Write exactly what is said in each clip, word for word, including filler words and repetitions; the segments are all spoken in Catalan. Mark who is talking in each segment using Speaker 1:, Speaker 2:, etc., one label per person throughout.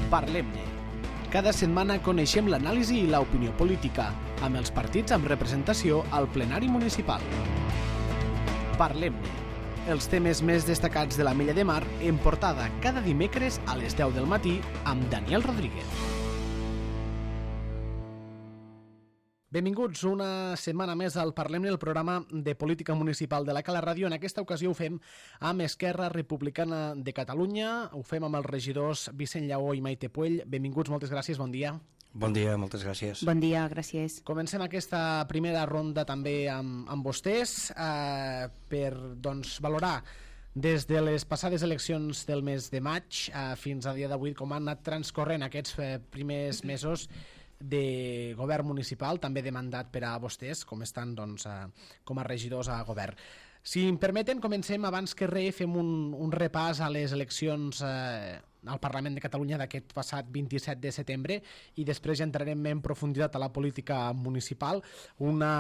Speaker 1: Parlem-ne. Cada setmana coneixem l'anàlisi i l'opinió política, amb els partits amb representació al plenari municipal. Parlem-ne. Els temes més destacats de la Mella de Mar en portada cada dimecres a les deu del matí amb Daniel Rodríguez. Benvinguts una setmana més al Parlem-ne, el programa de política municipal de la Cala Ràdio. En aquesta ocasió ho fem amb Esquerra Republicana de Catalunya, ho fem amb els regidors Vicent Lleó i Maite Puell. Benvinguts, moltes gràcies, bon dia.
Speaker 2: Bon dia, moltes gràcies.
Speaker 3: Bon dia, gràcies.
Speaker 1: Comencem aquesta primera ronda també amb, amb vostès eh, per doncs, valorar des de les passades eleccions del mes de maig eh, fins a dia d'avui com han anat transcorrent aquests eh, primers mesos de govern municipal, també de mandat per a vostès, com estan doncs, eh, com a regidors a govern. Si em permeten, comencem abans que res, fem un, un repàs a les eleccions eh, al Parlament de Catalunya d'aquest passat vint-i-set de setembre i després ja entrarem en profunditat a la política municipal. Una,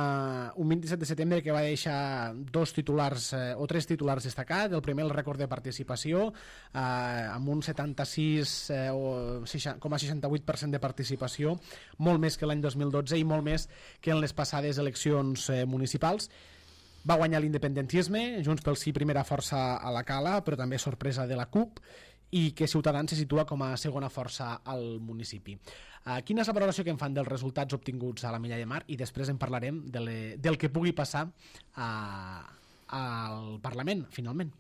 Speaker 1: un vint-i-set de setembre que va deixar dos titulars eh, o tres titulars destacats. El primer, el rècord de participació, eh, amb un setanta-sis coma seixanta-vuit per cent de participació, molt més que l'any dos mil dotze i molt més que en les passades eleccions eh, municipals. Va guanyar l'independentisme, Junts pel Sí primera força a la Cala, però també sorpresa de la CUP, i que Ciutadans se situa com a segona força al municipi. Uh, quina és la valoració que en fan dels resultats obtinguts a la Mella de Mar? I després en parlarem de le, del que pugui passar uh, al Parlament, finalment.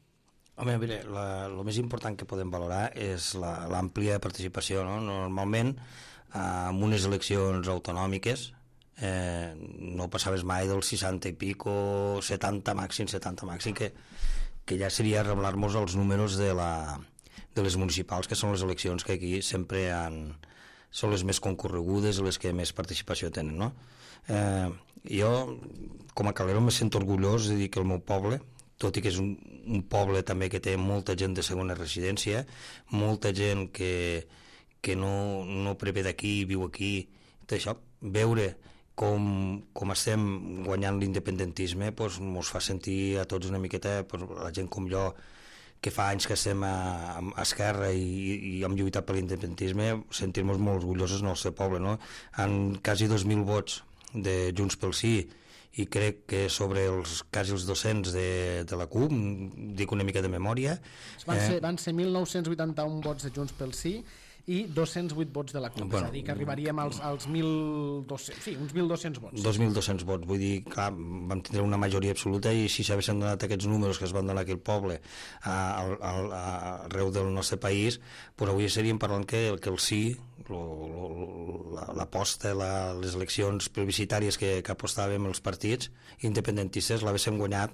Speaker 2: Home, mira, el més important que podem valorar és l'àmplia participació, no? Normalment, uh, en unes eleccions autonòmiques, eh, no passaves mai del seixanta i pico, setanta màxim, setanta màxim, que, que ja seria reblar-nos els números de la... de les municipals, que són les eleccions que aquí sempre han, són les més concorregudes, les que més participació tenen, no? Eh, jo, com a calero, me sento orgullós de dir que el meu poble, tot i que és un, un poble també que té molta gent de segona residència, molta gent que, que no, no prevé d'aquí, viu aquí, tot això, veure com, com estem guanyant l'independentisme doncs, mos fa sentir a tots una miqueta, doncs, la gent com jo, que fa anys que estem a, a Esquerra i, i hem lluitat per l'independentisme, sentir-nos molt orgullosos del nostre poble, no? En quasi dos mil vots de Junts pel Sí i crec que sobre els quasi els dos-cents de, de la CUP, dic una mica de memòria.
Speaker 1: Van ser, eh, van ser mil nou-cents vuitanta-un vots de Junts pel Sí i dos-cents vuit vots de la CUP, bueno, és a dir, que arribaríem als, als mil dos-cents, sí, uns mil dos-cents vots.
Speaker 2: dos mil dos-cents vots, vull dir, clar, vam tindre una majoria absoluta i si s'haguessin donat aquests números que es van donar aquí al poble a, a, a, a, arreu del nostre país, doncs avui seríem parlant que, que el sí, l'aposta, la, les eleccions plebiscitàries que, que apostàvem els partits independentistes l'haguéssim guanyat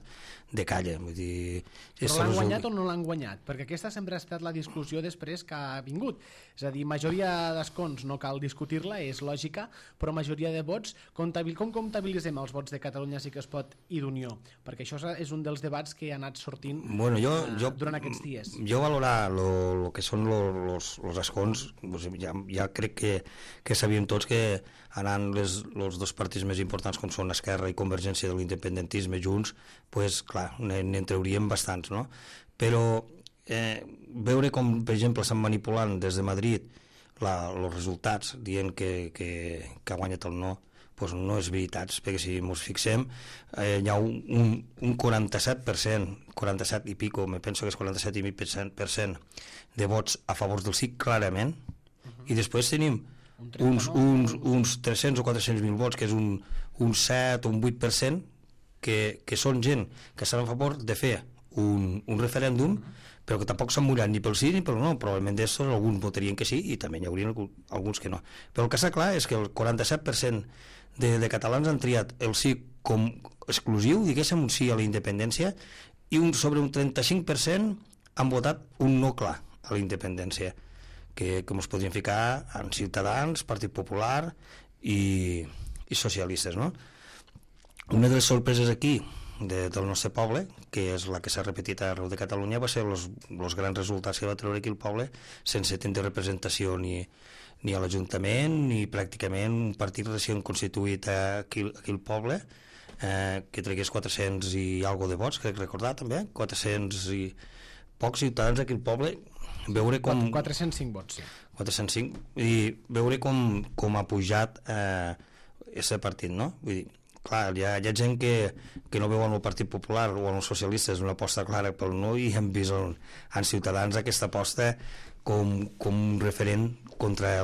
Speaker 2: de calla, vull dir...
Speaker 1: Però l'han guanyat o no l'han guanyat? Perquè aquesta sempre ha estat la discussió després que ha vingut. És a dir, majoria d'escons no cal discutir-la, és lògica, però majoria de vots, comptabil... com comptabilitzem els vots de Catalunya Sí que es pot i d'Unió? Perquè això és un dels debats que ha anat sortint
Speaker 2: bueno, jo,
Speaker 1: uh,
Speaker 2: jo,
Speaker 1: durant aquests dies.
Speaker 2: Jo valorar el que són els escons, ja, ja crec que, que sabíem tots que anant les, els dos partits més importants com són Esquerra i Convergència de l'independentisme junts, pues, clar, n'en trauríem bastants, no? Però eh, veure com, per exemple, estan manipulant des de Madrid els resultats dient que, que, que ha guanyat el no, pues no és veritat, perquè si ens fixem eh, hi ha un, un, un quaranta-set per cent, quaranta-set i pico, me penso que és quaranta-set i mig per cent de vots a favor del sí, clarament, uh-huh. I després tenim uns, uns, uns tres-cents o quatre-cents mil vots, que és un, un set o un vuit per cent, que, que són gent que estan a favor de fer un, un referèndum, però que tampoc s'han mullat ni pel sí ni pel no. Probablement d'estos alguns votarien que sí i també hi haurien alguns que no. Però el que està clar és que el quaranta-set per cent de, de catalans han triat el sí com exclusiu, diguéssim, un sí a la independència, i un, sobre un trenta-cinc per cent han votat un no clar a la independència, que, que ens podrien ficar en Ciutadans, Partit Popular i, i socialistes, no? Una de les sorpreses aquí de, del nostre poble, que és la que s'ha repetit arreu de Catalunya, va ser els grans resultats que va treure aquí el poble, sense tenir representació ni, ni a l'Ajuntament, ni pràcticament un partit recient constituït aquí, aquí al poble, eh, que tregués quatre-cents i algo de vots, crec recordar també, quatre-cents i pocs ciutadans aquí al poble, veure com...
Speaker 1: quatre-cents cinc vots, sí.
Speaker 2: quatre-cents cinc, i veure com, com ha pujat aquest eh, partit, no? Vull dir, clar, hi ha, hi ha gent que, que no veu en el Partit Popular o en els socialistes una aposta clara pel no, i hem vist en, en Ciutadans aquesta aposta com, com un referent contra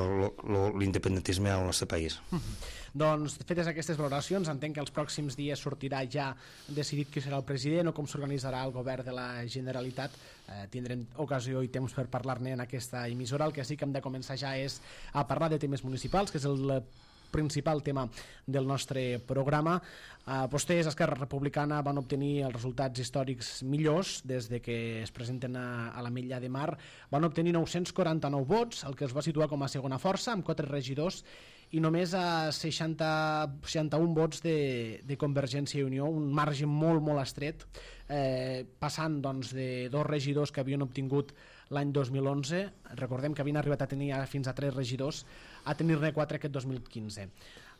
Speaker 2: l'independentisme al nostre país.
Speaker 1: Mm-hmm. Doncs, fetes aquestes valoracions, entenc que els pròxims dies sortirà ja decidit qui serà el president o com s'organitzarà el govern de la Generalitat. Eh, tindrem ocasió i temps per parlar-ne en aquesta emissora. El que sí que hem de començar ja és a parlar de temes municipals, que és el principal tema del nostre programa. Eh, vostès, Esquerra Republicana, van obtenir els resultats històrics millors des de que es presenten a, a l'Ametlla de Mar. Van obtenir nou-cents quaranta-nou vots, el que els va situar com a segona força, amb quatre regidors, i només a seixanta, seixanta-un vots de, de Convergència i Unió, un marge molt, molt estret, eh, passant doncs, de dos regidors que havien obtingut l'any dos mil onze, recordem que havien arribat a tenir fins a tres regidors, a tenir-ne quatre aquest dos mil quinze.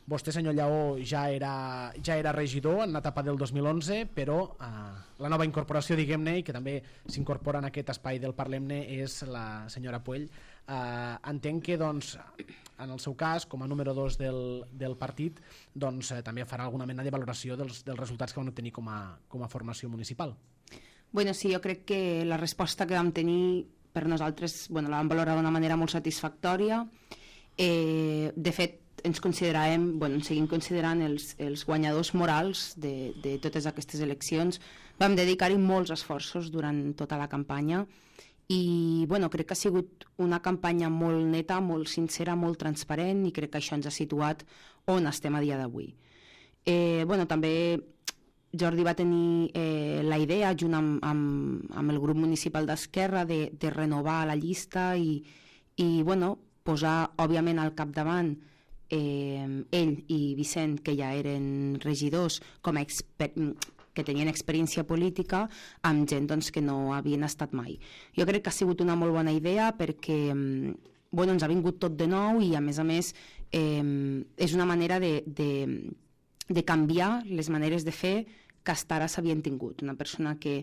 Speaker 1: Vostè, senyor Lleó, ja era, ja era regidor en l'etapa del dos mil onze, però eh, la nova incorporació, diguem-ne, i que també s'incorpora en aquest espai del Parlem-ne, és la senyora Puell. Eh, entenc que, doncs, en el seu cas, com a número dos del, del partit, doncs, eh, també farà alguna mena de valoració dels, dels resultats que van obtenir com a, com a formació municipal.
Speaker 3: Bueno, sí, jo crec que la resposta que vam tenir per nosaltres, bueno, la vam valorar d'una manera molt satisfactòria. Eh, de fet, ens consideràvem, bueno, ens seguim considerant els, els guanyadors morals de, de totes aquestes eleccions. Vam dedicar-hi molts esforços durant tota la campanya i bueno, crec que ha sigut una campanya molt neta, molt sincera, molt transparent, i crec que això ens ha situat on estem a dia d'avui. Eh, bueno, també Jordi va tenir eh, la idea, junt amb, amb, amb el grup municipal d'Esquerra, de, de renovar la llista i, i bueno, posar, òbviament, al capdavant eh, ell i Vicent, que ja eren regidors, com a exper que tenien experiència política, amb gent doncs, que no havien estat mai. Jo crec que ha sigut una molt bona idea perquè bueno, ens ha vingut tot de nou i, a més a més, eh, és una manera de, de, de canviar les maneres de fer que fins ara s'havien tingut. Una persona que,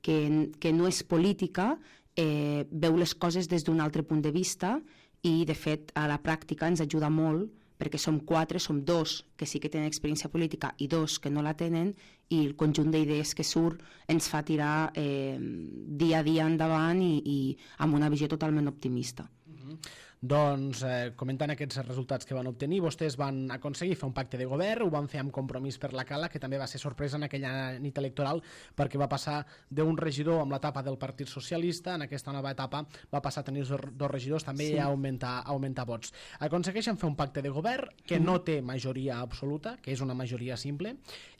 Speaker 3: que, que no és política eh, veu les coses des d'un altre punt de vista i, de fet, a la pràctica ens ajuda molt, perquè som quatre, som dos que sí que tenen experiència política i dos que no la tenen, i el conjunt d'idees que surt ens fa tirar eh, dia a dia endavant i, i amb una visió totalment optimista.
Speaker 1: Mm-hmm. Doncs, eh, comentant aquests resultats que van obtenir, vostès van aconseguir fer un pacte de govern, ho van fer amb Compromís per la Cala, que també va ser sorpresa en aquella nit electoral, perquè va passar d'un regidor amb l'etapa del Partit Socialista, en aquesta nova etapa va passar a tenir dos regidors, també sí. a, augmentar, a augmentar vots. Aconsegueixen fer un pacte de govern que no té majoria absoluta, que és una majoria simple,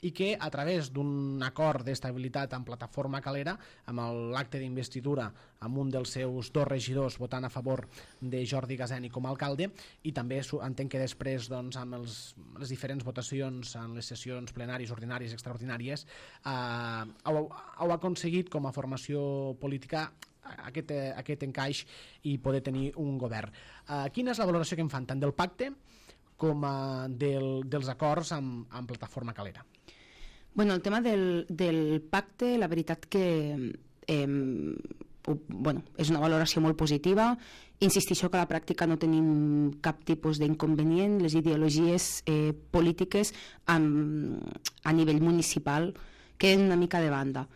Speaker 1: i que a través d'un acord d'estabilitat amb Plataforma Calera, amb l'acte d'investidura amb un dels seus dos regidors votant a favor de Jordi Gazeni com a alcalde, i també entenc que després, doncs, amb els, les diferents votacions en les sessions plenàries, ordinàries, extraordinàries, eh, heu, heu aconseguit com a formació política aquest, aquest encaix i poder tenir un govern. Eh, quina és la valoració que en fan tant del pacte com a del, dels acords amb, amb Plataforma Calera?
Speaker 3: Bueno, el tema del, del pacte, la veritat que eh, bueno, és una valoració molt positiva. Insistixo que a la pràctica no tenim cap tipus d'inconvenient. Les ideologies eh, polítiques amb, a nivell municipal queden una mica de banda.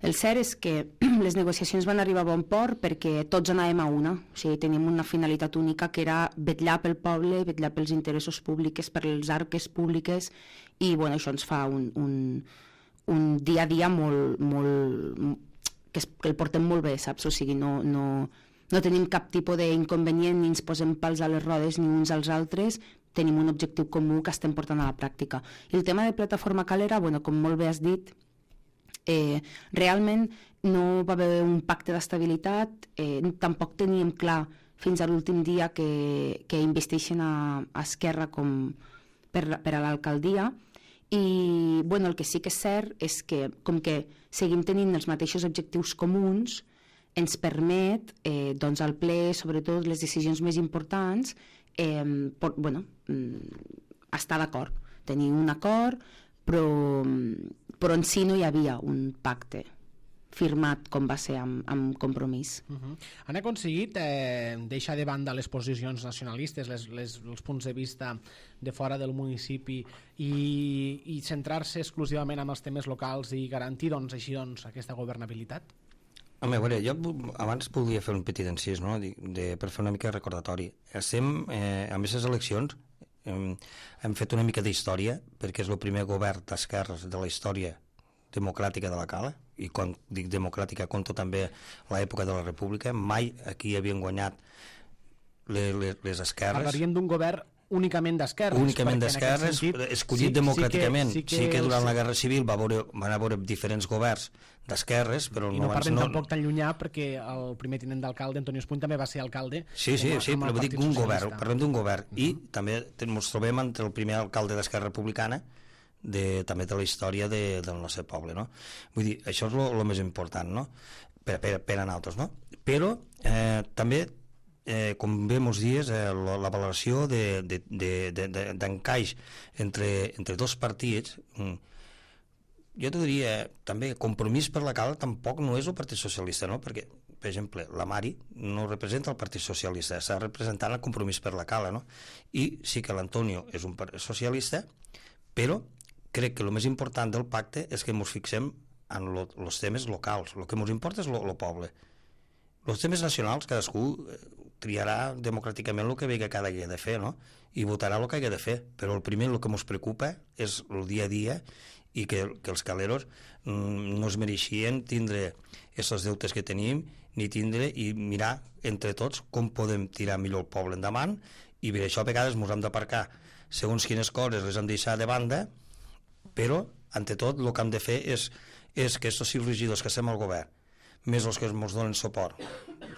Speaker 3: El cert és que les negociacions van arribar a bon port perquè tots anàvem a una. O sigui, teníem una finalitat única, que era vetllar pel poble, vetllar pels interessos públics, per les arques públiques, i bueno, això ens fa un, un, un dia a dia molt, molt, que, es, que el portem molt bé, saps? O sigui, no, no, no tenim cap tipus d'inconvenient, ni ens posem pals a les rodes ni uns als altres, tenim un objectiu comú que estem portant a la pràctica. I el tema de Plataforma Calera, bueno, com molt bé has dit, eh, realment no va haver un pacte d'estabilitat, eh, tampoc teníem clar fins a l'últim dia que, que investixen a, a Esquerra com per, per a l'alcaldia. I bueno, el que sí que és cert és que, com que seguim tenint els mateixos objectius comuns, ens permet eh, doncs al ple, sobretot les decisions més importants, eh, por, bueno, estar d'acord, tenir un acord, però, però en si no hi havia un pacte. firmat com va ser amb, amb Compromís.
Speaker 1: Uh -huh. Han aconseguit eh, deixar de banda les posicions nacionalistes, les, les, els punts de vista de fora del municipi i, i centrar-se exclusivament en els temes locals i garantir doncs, així doncs, aquesta governabilitat?
Speaker 2: Home, a veure, jo abans volia fer un petit encís, no?, de, de, per fer una mica de recordatori. Estem, eh, amb aquestes eleccions, hem, hem fet una mica d'història, perquè és el primer govern d'esquerres de la història democràtica de la Cala, i quan dic democràtica conto també l'època de la República. Mai aquí havien guanyat les, les, les esquerres.
Speaker 1: Parlaríem d'un govern únicament d'esquerres.
Speaker 2: Únicament d'esquerres, escollit sí, democràticament. Sí que, sí que, sí que durant els... la Guerra Civil va veure, van haver diferents governs d'esquerres, però
Speaker 1: i no, no parlem no... tampoc tan llunyà, perquè el primer tinent d'alcalde, Antoni Espuny, també va ser alcalde.
Speaker 2: Sí, sí, sí, però dic un govern, parlem d'un govern. Uh -huh. I també ens trobem entre el primer alcalde d'Esquerra Republicana, de, també de la història de, del nostre poble, no? Vull dir, això és el més important, no?, per, per, per a nosaltres, no? Però eh, també, eh, com bé mos dies, eh, la, la valoració d'encaix de, de, de, de, entre, entre dos partits, mm, jo t'ho diria, també, Compromís per la Cala tampoc no és el Partit Socialista, no?, perquè, per exemple, la Mari no representa el Partit Socialista, està representant el Compromís per la Cala, no?, i sí que l'Antonio és un partit socialista, però crec que el més important del pacte és que ens fixem en els temes locals. El que ens importa és el poble. Els temes nacionals, cadascú triarà democràticament el que vegi cada dia de fer, no?, i votarà el que hagi de fer, però el primer, el que ens preocupa és el dia a dia, i que, que els caleros mm, no es mereixien tindre aquests deutes que tenim, ni tindre i mirar entre tots com podem tirar millor el poble endavant, i per això a vegades ens hem d'aparcar segons quines coses les hem de deixar de banda, però, ante tot, el que hem de fer és, és que aquests sis regidors que estem al govern, més els que ens donen suport,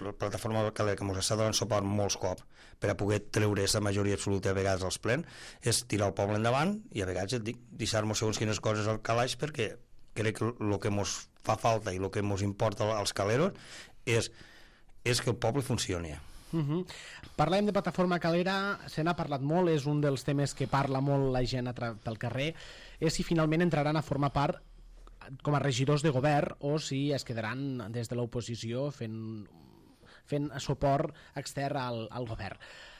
Speaker 2: la plataforma Calera que ens està donant suport molts cops per a poder treure aquesta majoria absoluta a vegades als plens, és tirar el poble endavant i a vegades et dic, deixar-nos segons quines coses al calaix, perquè crec que el que ens fa falta i el que ens importa als caleros és, és que el poble funcioni.
Speaker 1: Uh -huh. Parlem de plataforma Calera, se n'ha parlat molt, és un dels temes que parla molt la gent pel carrer, és si finalment entraran a formar part com a regidors de govern o si es quedaran des de l'oposició fent, fent suport extern al, al govern.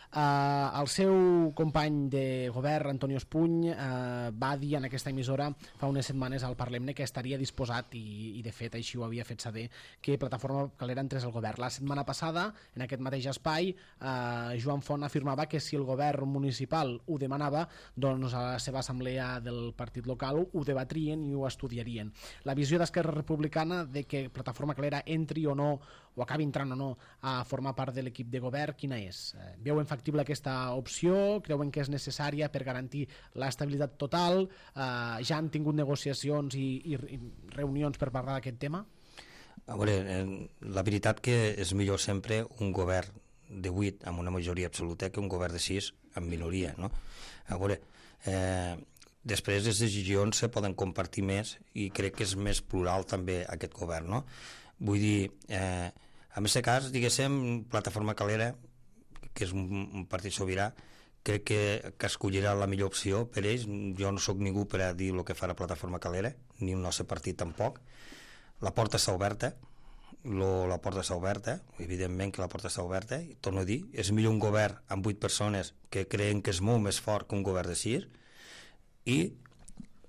Speaker 1: Uh, el seu company de govern, Antoni Espuny, uh, va dir en aquesta emissora fa unes setmanes al Parlemne que estaria disposat, i, i de fet així ho havia fet saber, que Plataforma Calera entrés al govern. La setmana passada, en aquest mateix espai, uh, Joan Font afirmava que si el govern municipal ho demanava, doncs a la seva assemblea del partit local ho debatrien i ho estudiarien. La visió d'Esquerra Republicana de que Plataforma Calera entri o no, o acabi entrant o no a formar part de l'equip de govern, quina és? Eh, veuen factible aquesta opció? Creuen que és necessària per garantir l'estabilitat total? Eh, ja han tingut negociacions i, i, i reunions per parlar d'aquest tema?
Speaker 2: A veure, la veritat que és millor sempre un govern de vuit amb una majoria absoluta que un govern de sis amb minoria, no? A veure, eh, després les decisions se poden compartir més i crec que és més plural també aquest govern, no? Vull dir, eh, en aquest cas, diguéssim, Plataforma Calera, que és un, un partit sobirà, crec que, que escollirà la millor opció per ells. Jo no sóc ningú per a dir el que farà Plataforma Calera, ni el nostre partit tampoc. La porta està oberta, lo, la porta està oberta, evidentment que la porta està oberta, i torno a dir, és millor un govern amb vuit persones que creen que és molt més fort que un govern de sis, i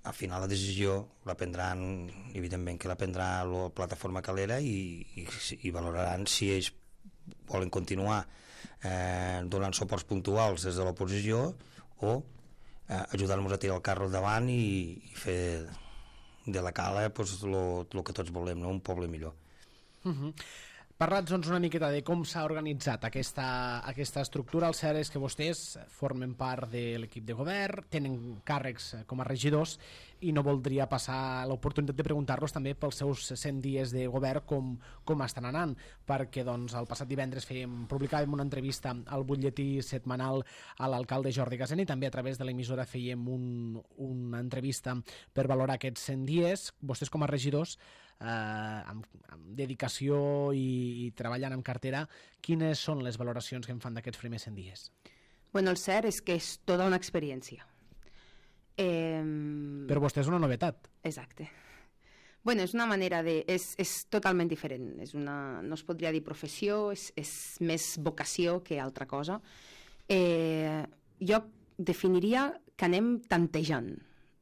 Speaker 2: al final la decisió la prendran, evidentment que la prendrà la Plataforma Calera, i, i, i valoraran si ells volen continuar eh, donant suports puntuals des de l'oposició o eh, ajudar-nos a tirar el carro davant i, i fer de la Cala pues, lo, lo que tots volem, no? Un poble millor.
Speaker 1: Uh-huh. Parla'ns doncs, una miqueta de com s'ha organitzat aquesta, aquesta estructura. El cert és que vostès formen part de l'equip de govern, tenen càrrecs com a regidors, i no voldria passar l'oportunitat de preguntar-los també pels seus cent dies de govern com, com estan anant, perquè doncs, el passat divendres fèiem, publicàvem una entrevista al butlletí setmanal a l'alcalde Jordi Gasena, i també a través de l'emissora fèiem un, una entrevista per valorar aquests cent dies. Vostès com a regidors, eh, amb, amb dedicació i, i treballant amb cartera, quines són les valoracions que en fan d'aquests primers cent dies?
Speaker 3: Bueno, el cert és que és tota una experiència. Eh...
Speaker 1: Per vostè és una novetat.
Speaker 3: Exacte. Bueno, és una manera de... És, és totalment diferent. És una, no es podria dir professió, és, és més vocació que altra cosa. Eh, jo definiria que anem tantejant.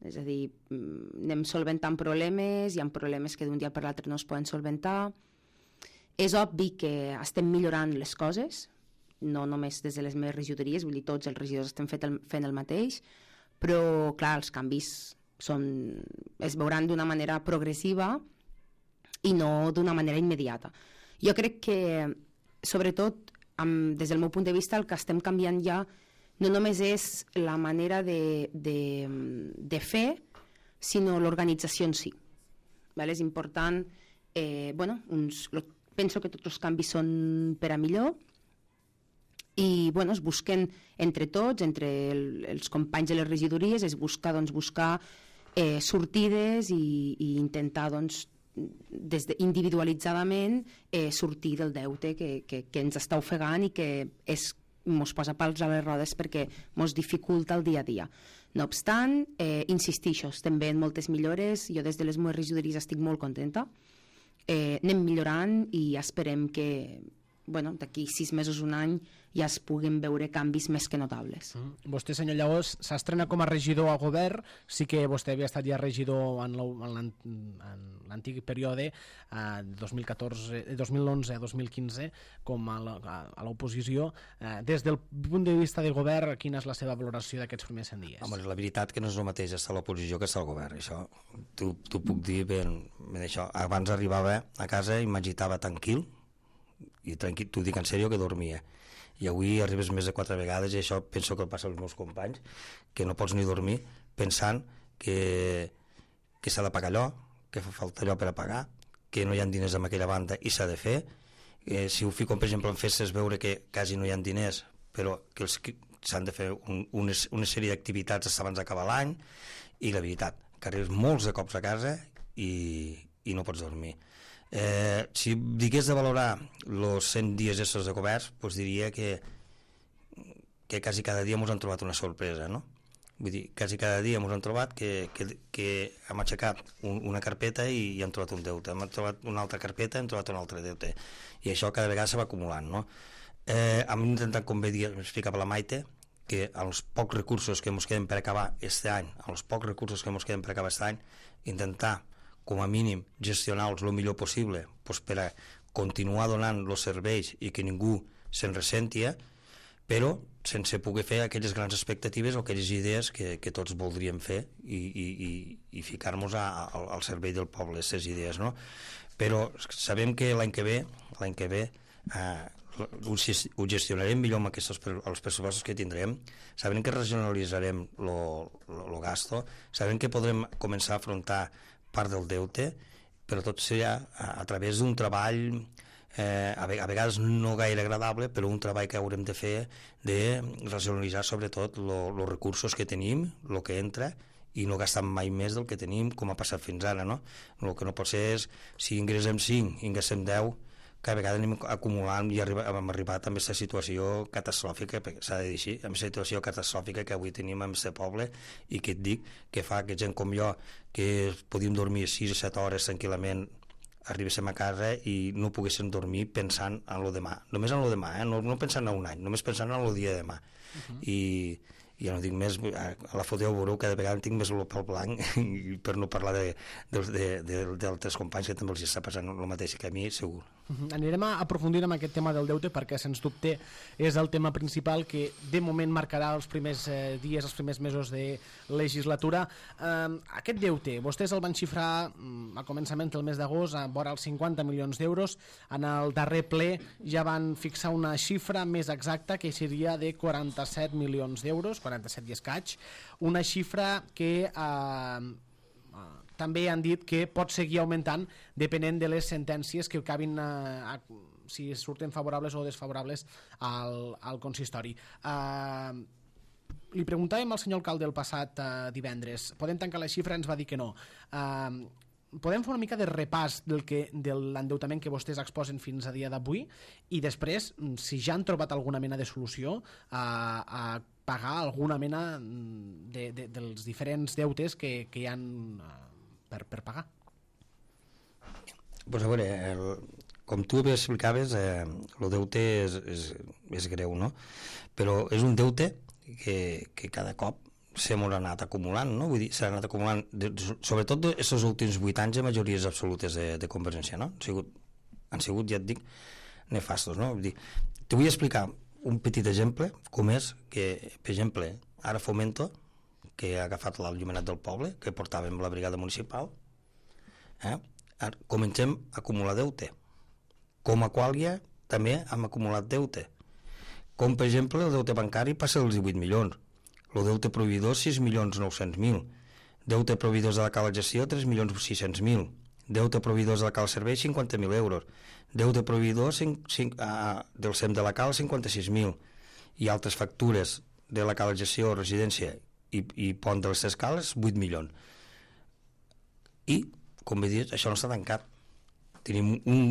Speaker 3: És a dir, anem solventant problemes, hi ha problemes que d'un dia per l'altre no es poden solventar. És obvi que estem millorant les coses, no només des de les meves regidories, vull dir, tots els regidors estem fet el, fent el mateix, però, clar, els canvis són, es veuran d'una manera progressiva i no d'una manera immediata. Jo crec que, sobretot, amb, des del meu punt de vista, el que estem canviant ja no només és la manera de, de, de fer, sinó l'organització en si. Vale? És important, eh, bueno, uns, penso que tots els canvis són per a millor, i bueno, es busquen entre tots, entre el, els companys de les regidories, es busca doncs, buscar eh, sortides i, i intentar doncs, des de, individualitzadament eh, sortir del deute que, que, que ens està ofegant i que és, mos posa pals a les rodes perquè mos dificulta el dia a dia. No obstant, eh, insistixo, estem veient moltes millores, jo des de les meves regidories estic molt contenta, eh, anem millorant i esperem que bueno, d'aquí sis mesos, un any, ja es puguin veure canvis més que notables.
Speaker 1: Mm. Vostè, senyor Llaós, s'estrena com a regidor a govern, sí que vostè havia estat ja regidor en l'antic període, eh, dos mil catorze, dos mil onze a dos mil quinze, com a l'oposició. Eh, des del punt de vista de govern, quina és la seva valoració d'aquests primers cent dies?
Speaker 2: Home, la veritat que no és el mateix estar a l'oposició que estar al govern, això t'ho puc dir ben, ben això. Abans arribava a casa i m'agitava tranquil, i tranquil, t'ho dic en sèrio, que dormia, i avui arribes més de quatre vegades i això penso que el passa als meus companys, que no pots ni dormir pensant que, que s'ha de pagar allò, que fa falta allò per a pagar, que no hi ha diners en aquella banda i s'ha de fer. Eh, si ho fico per exemple en festes, veure que quasi no hi ha diners però que s'han de fer un, una, una sèrie d'activitats abans d'acabar l'any, i la veritat que arribes molts de cops a casa i, i no pots dormir. Eh, si digués de valorar els cent dies estos de govern, doncs diria que, que quasi cada dia ens han trobat una sorpresa, no? Vull dir, quasi cada dia ens han trobat que, que, que hem aixecat un, una carpeta i, i hem trobat un deute, hem trobat una altra carpeta i hem trobat un altre deute, i això cada vegada se va acumulant, no? Eh, hem intentat, com bé dir, explicava la Maite, que els pocs recursos que ens queden per acabar aquest any, els pocs recursos que ens queden per acabar aquest any, intentar com a mínim gestionar-los el millor possible, doncs per a continuar donant els serveis i que ningú se'n ressentia, però sense poder fer aquelles grans expectatives o aquelles idees que, que tots voldríem fer i, i, i, i ficar-nos al servei del poble, aquestes idees, no? Però sabem que l'any que ve, l'any que ve eh, ho, ho gestionarem millor amb aquests, els pressupostos que tindrem, sabem que regionalitzarem el gasto, sabem que podrem començar a afrontar part del deute, però tot serà a, a través d'un treball eh, a, a vegades no gaire agradable, però un treball que haurem de fer de racionalitzar sobretot els recursos que tenim, el que entra, i no gastar mai més del que tenim, com ha passat fins ara, no? El que no pot ser és, si ingressem cinc i ingressem deu, cada vegada anem acumulant i arriba, hem arribat a aquesta situació catastròfica, s'ha de dir així, amb aquesta situació catastròfica que avui tenim en aquest poble, i que et dic que fa que gent com jo, que podíem dormir sis o set hores tranquil·lament, arribéssim a casa i no poguéssim dormir pensant en lo demà, només en lo demà, eh? no, no pensant en un any, només pensant en el dia de demà. Uh-huh. I i ja no dic més, a la foteu veureu cada vegada tinc més el pel blanc, i per no parlar d'altres de, de, de, de companys que també els està passant el mateix que a mi, segur.
Speaker 1: Uh-huh. Anirem a aprofundir en aquest tema del deute perquè, sens dubte, és el tema principal que de moment marcarà els primers eh, dies, els primers mesos de legislatura. Eh, aquest deute, vostès el van xifrar mm, a començament del mes d'agost a vora els cinquanta milions d'euros. En el darrer ple ja van fixar una xifra més exacta, que seria de quaranta-set milions d'euros, quaranta-set i escaig, una xifra que eh, també han dit que pot seguir augmentant depenent de les sentències que acabin eh, a, si surten favorables o desfavorables al, al consistori. Eh, li preguntàvem al senyor alcalde el passat eh, divendres, podem tancar la xifra? Ens va dir que no. Eh, podem fer una mica de repàs del que, de l'endeutament que vostès exposen fins a dia d'avui, i després, si ja han trobat alguna mena de solució a, a pagar alguna mena de, de, dels diferents deutes que, que hi ha per, per pagar.
Speaker 2: Pues a veure, el, com tu bé explicaves, eh, el deute és, és, és greu, no? Però és un deute que, que cada cop s'hem anat acumulant, no? Vull dir, s'ha anat acumulant, de, sobretot aquests últims vuit anys de majories absolutes de, de Convergència, no? Han sigut, han sigut, ja et dic, nefastos, no? Vull dir, te vull explicar un petit exemple, com és que, per exemple, ara Fomento, que ha agafat l'Allumenat del Poble, que portàvem la brigada municipal, eh? Ara comencem a acumular deute. Com a Quàlia també hem acumulat deute. Com, per exemple, el deute bancari passa dels divuit milions, el deute proveïdor sis milions nou-cents mil, deute proveïdors de la cala gestió tres milions sis-cents mil, deute proveïdors de la cala servei cinquanta mil euros, deute proveïdor cinc, cinc, ah, del S E M de la cala cinquanta-sis mil i altres factures de la cala gestió, residència i, i pont de les tres cales vuit milions. I, com bé dius, això no està tancat. Tenim un,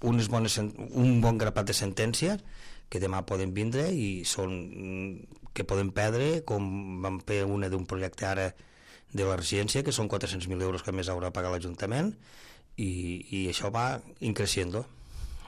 Speaker 2: unes bones, un bon grapat de sentències que demà poden vindre i són que poden perdre, com vam fer una d'un projecte ara de la residència, que són quatre-cents mil euros que més haurà de pagar l'Ajuntament, i, i això va increixent.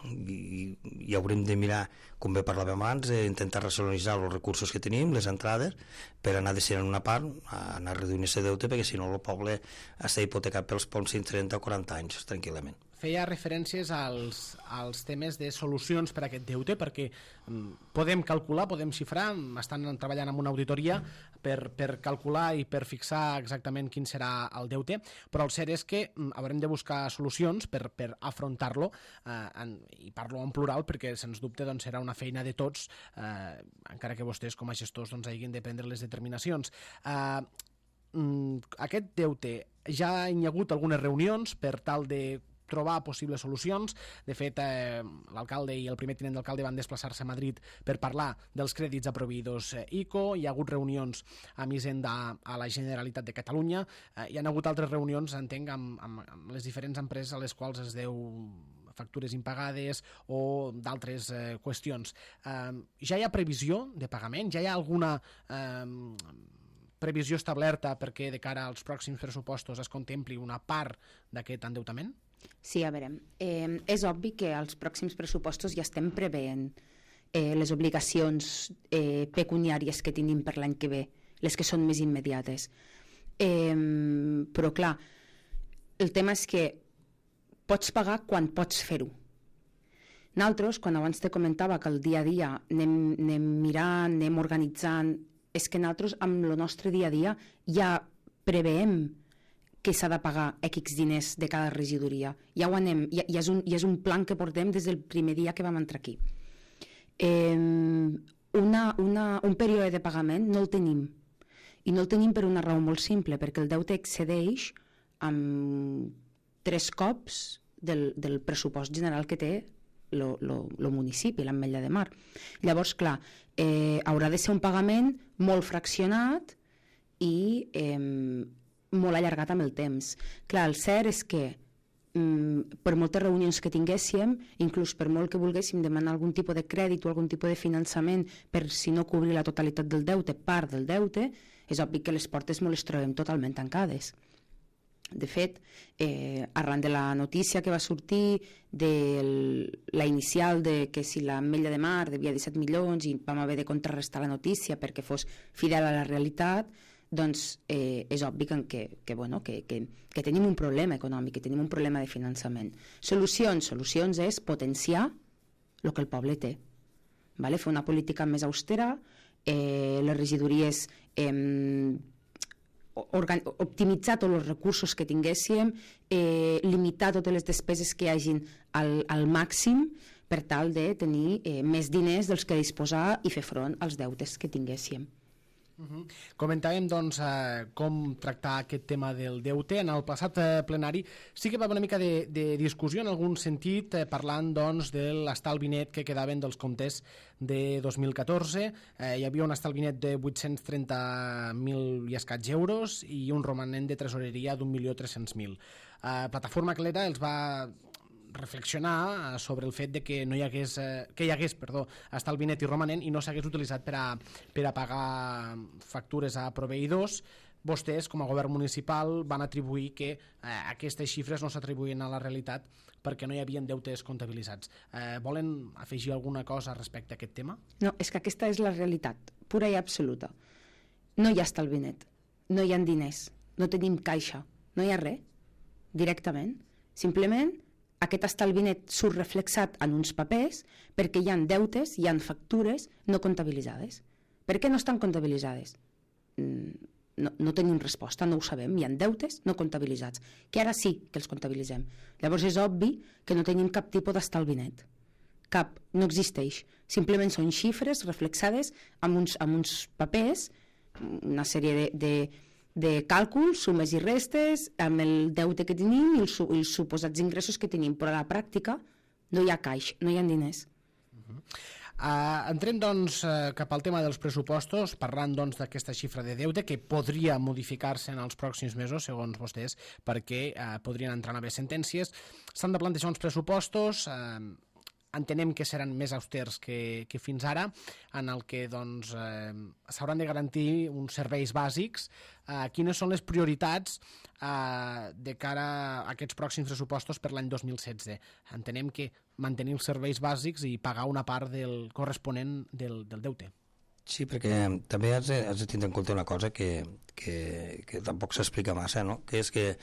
Speaker 2: I, i haurem de mirar, com bé parlàvem abans, d'intentar racionalitzar els recursos que tenim, les entrades, per anar destinant una part a anar reduint aquest deute, perquè si no el poble està hipotecat pels pròxims trenta o quaranta anys, tranquil·lament.
Speaker 1: Feia referències als, als temes de solucions per a aquest deute, perquè mm, podem calcular, podem xifrar, estan treballant en una auditoria per, per calcular i per fixar exactament quin serà el deute, però el cert és que mm, haurem de buscar solucions per, per afrontar-lo, eh, en, i parlo en plural perquè sens dubte doncs, serà una feina de tots, eh, encara que vostès com a gestors doncs, hagin de prendre les determinacions. Eh, mm, aquest deute, ja hi ha hagut algunes reunions per tal de trobar possibles solucions. De fet, eh, l'alcalde i el primer tinent d'alcalde van desplaçar-se a Madrid per parlar dels crèdits a proveïdors eh, I C O. Hi ha hagut reunions amb Hisenda a la Generalitat de Catalunya. Eh, hi ha hagut altres reunions, entenc, amb, amb, amb les diferents empreses a les quals es deu factures impagades o d'altres eh, qüestions. Eh, ja hi ha previsió de pagament? Ja hi ha alguna eh, previsió establerta perquè de cara als pròxims pressupostos es contempli una part d'aquest endeutament?
Speaker 3: Sí, a veure, eh, és obvi que als pròxims pressupostos ja estem preveient eh, les obligacions eh, pecuniàries que tenim per l'any que ve, les que són més immediates. Eh, però clar, el tema és que pots pagar quan pots fer-ho. Nosaltres, quan abans te comentava que el dia a dia anem, anem mirant, anem organitzant, és que nosaltres amb el nostre dia a dia ja preveem que s'ha de pagar X diners de cada regidoria. Ja ho anem, ja, ja, és un, ja és un plan que portem des del primer dia que vam entrar aquí. Eh, una, una, un període de pagament no el tenim. I no el tenim per una raó molt simple, perquè el deute excedeix amb tres cops del, del pressupost general que té el municipi, l'Ametlla de Mar. Llavors, clar, eh, haurà de ser un pagament molt fraccionat i eh, molt allargat amb el temps. Clar, el cert és que mm, per moltes reunions que tinguéssim, inclús per molt que volguéssim demanar algun tipus de crèdit o algun tipus de finançament per si no cobrir la totalitat del deute, part del deute, és obvi que les portes no les trobem totalment tancades. De fet, eh, arran de la notícia que va sortir de la inicial de que si l'Ametlla de Mar devia disset milions i vam haver de contrarrestar la notícia perquè fos fidel a la realitat, doncs eh, és obvi que, que, que, bueno, que, que, que tenim un problema econòmic, que tenim un problema de finançament. Solucions, solucions és potenciar el que el poble té. Vale? Fer una política més austera, eh, les regidories eh, optimitzar tots els recursos que tinguéssim, eh, limitar totes les despeses que hi hagin al, al màxim per tal de tenir eh, més diners dels que disposar i fer front als deutes que tinguéssim.
Speaker 1: Uh-huh. Comentàvem doncs eh, com tractar aquest tema del deute. En el passat eh, plenari sí que va haver una mica de, de discussió en algun sentit, eh, parlant doncs de l'estalvi net que quedaven dels comptes de dos mil catorze. Eh, hi havia un estalvi net de vuit-cents trenta mil i escaig euros i un romanent de tresoreria d'un milió tres-cents mil. Eh, Plataforma Clera els va reflexionar sobre el fet de que no hi hagués, eh, que hi hagués perdó, estalvi net i romanent i no s'hagués utilitzat per a, per a pagar factures a proveïdors, vostès, com a govern municipal, van atribuir que eh, aquestes xifres no s'atribuïen a la realitat perquè no hi havia deutes comptabilitzats. Eh, volen afegir alguna cosa respecte a aquest tema?
Speaker 3: No, és que aquesta és la realitat, pura i absoluta. No hi ha estalvi net, no hi ha diners, no tenim caixa, no hi ha res, directament. Simplement, aquest estalvi net surt reflexat en uns papers perquè hi ha deutes, hi ha factures no comptabilitzades. Per què no estan comptabilitzades? No, no tenim resposta, no ho sabem. Hi ha deutes no comptabilitzats, que ara sí que els comptabilitzem. Llavors és obvi que no tenim cap tipus d'estalvi net. Cap, no existeix. Simplement són xifres reflexades amb uns, amb uns papers, una sèrie de, de, de càlculs, sumes i restes, amb el deute que tenim i els, els suposats ingressos que tenim, però a la pràctica no hi ha caix, no hi ha diners.
Speaker 1: Uh-huh. Uh, entrem doncs uh, cap al tema dels pressupostos, parlant doncs d'aquesta xifra de deute que podria modificar-se en els pròxims mesos, segons vostès, perquè uh, podrien entrar noves sentències. S'han de plantejar uns pressupostos, uh, entenem que seran més austers que, que fins ara, en el que doncs, eh, s'hauran de garantir uns serveis bàsics. Eh, quines són les prioritats eh, de cara a aquests pròxims pressupostos per l'any dos mil setze? Entenem que mantenir els serveis bàsics i pagar una part del corresponent del, del deute.
Speaker 2: Sí, perquè també has de, has de tindre en compte una cosa que, que, que tampoc s'explica massa, no? Que és que